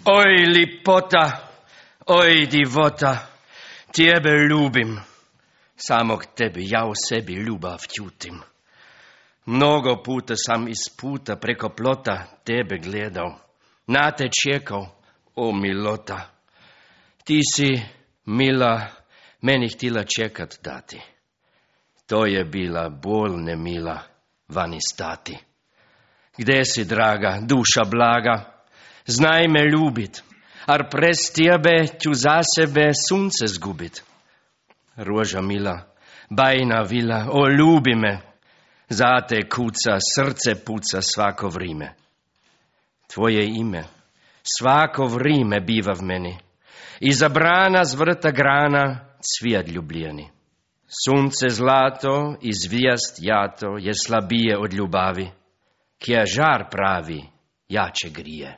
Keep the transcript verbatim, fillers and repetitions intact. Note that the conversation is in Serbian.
Oj, lipota, oj, divota, tebe ljubim, samog tebe ja u sebi ljubav ćutim. Mnogo puta sam iz puta preko plota tebe gledao, na te čekao, o milota. Ti si, mila, meni htjela čekat dati. To je bila bol nemila vani stati. Gde si, draga, duša blaga, znaj me ljubit, ar prez tebe ću za sebe sunce zgubit. Roža mila, bajna vila, o ljubi me, za te kuca, srce puca svako vrime. Tvoje ime svako vrime biva v meni, iza brana zvrta grana cvijat ljubljeni. Sunce zlato i zvijast jato je slabije od ljubavi, kje žar pravi jače grije.